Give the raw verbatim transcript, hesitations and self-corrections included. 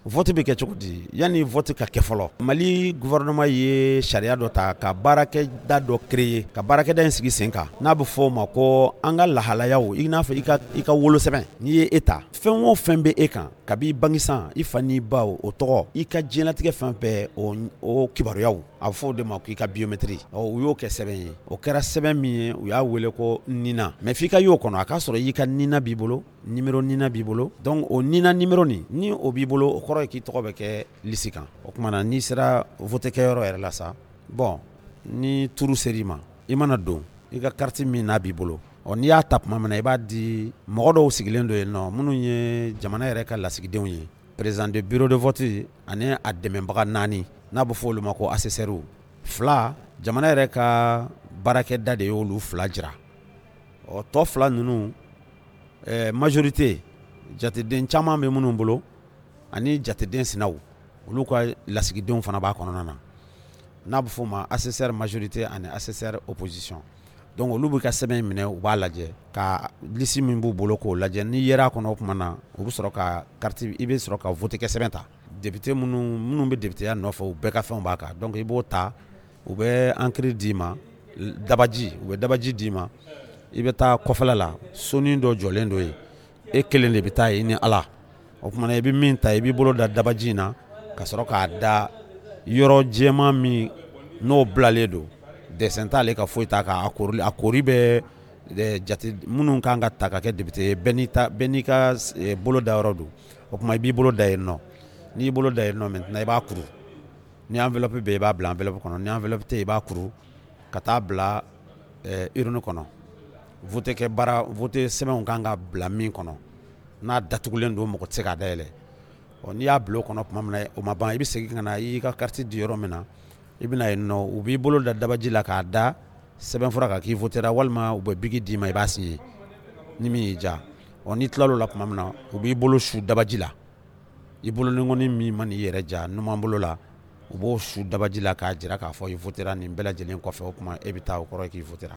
Vote bɛ kɛ cogo di? Yanni vote ka kɛ fɔlɔ, Mali gouvernement ye sariya dɔ ta ka baarakɛda dɔ créer ka baarakɛda in sigi sen kan, n'a bɛ fɔ o ma ko an ka lahalayaw, i n'a fɔ i ka i ka wolosɛbɛn, n'i ye e ta, fɛn o fɛn bɛ e kan kabi bange san, i fa n'i ba, o tɔgɔ, i ka diɲɛlatigɛ fɛn bɛɛ, o o kibaruyaw, a bɛ fɔ o de ma k'i ka biométrie. Ɔ, u y'o kɛ sɛbɛn ye, o kɛra sɛbɛn min ye, u y'a wele ko NINA. Mais f'i ka y'o kɔnɔ, a k'a sɔrɔ i ka NINA b'i bolo, numéro NINA b'i bolo. Donc o NINA numéro nin, ni o b'i bolo, o kɔrɔ ye k'i tɔgɔ bɛ kɛ liste kan. O tuma na, n'i sera vote kɛyɔrɔ yɛrɛ la sa, bon, ni tour ser'i ma, i mana don, i ka carte min n'a b'i bolo, ɔ, n'i y'a ta tuma min na, i b'a di mɔgɔ dɔw sigilen don yen nɔ, minnu ye jamana yɛrɛ ka lasigidenw ye, président de bureau de vote ani a dɛmɛbaga naani, n'a bɛ fɔ olu ma ko assesseur fila. Jamana yɛrɛ ka baarakɛda de y'olu fila jira. Ɔ, tɔ fila ninnu, ɛɛ majorité, jateden caman bɛ minnu bolo, ani jateden sinaw, olu ka lasigidenw fana b'a kɔnɔna na, n'a bɛ f'o ma assesseur majorité ani assesseur opposition. Donc olu bɛ ka sɛbɛn in minɛ, u b'a lajɛ ka liste min b'u bolo k'o lajɛ. N'i yer'a kɔnɔ, o tuma na u bɛ sɔrɔ ka carte, i bɛ sɔrɔ ka vote kɛ sɛbɛn ta. Député minnu minnu bɛ députéya nɔfɛ, u bɛɛ ka fɛnw b'a kan. Donc i b'o ta, u bɛ encre d'i ma, dabaji, u bɛ dabaji d'i ma. I bɛ taa kɔfɛla la, sonin dɔ jɔlen dɔ yen, e kelen de bɛ taa yen ni Ala. O tuma na, i bɛ min ta, i b'i bolo da dabaji in na ka sɔrɔ k'a da yɔrɔ jɛman min n'o bilalen don, dessin t'ale ka foyi t'a kan. A koori, a koori bɛ jate minnu kan ka ta ka kɛ député ye, bɛɛ n'i ta, bɛɛ n'i ka bolo da yɔrɔ don. O tuma i b'i bolo da yen nɔ. N'i y'i bolo da yen nɔ, maintenant i b'a kuru. Ni enveloppe bɛ yen, i b'a bila enveloppe kɔnɔ. Ni enveloppe tɛ yen, i b'a kuru ka taa bila urne kɔnɔ, vote kɛ baara, vote sɛbɛnw kan ka bila min kɔnɔ, n'a datugulen don, mɔgɔ tɛ se k'a dayɛlɛ. Ɔ, n'i y'a bila o kɔnɔ tuma min na, o ma ban, i bɛ segin ka na i ka carte di yɔrɔ min na, i bɛna yen nɔ, u b'i bolo da dabaji la k'a da sɛbɛnfura kan k'i votera, walima u bɛ bic d'i ma, i b'a signer ni min y'i diya. Ɔ, n'i tilal'o la tuma min na, u b'i bolo su dabaji la, i bolodenkɔni min mana i yɛrɛ ja numan bolo la, u b'o su dabaji la k'a jira k'a fɔ i votera. Nin bɛɛ lajɛlen kɔfɛ, o tuma e bɛ taa, o kɔrɔ ye k'i votera.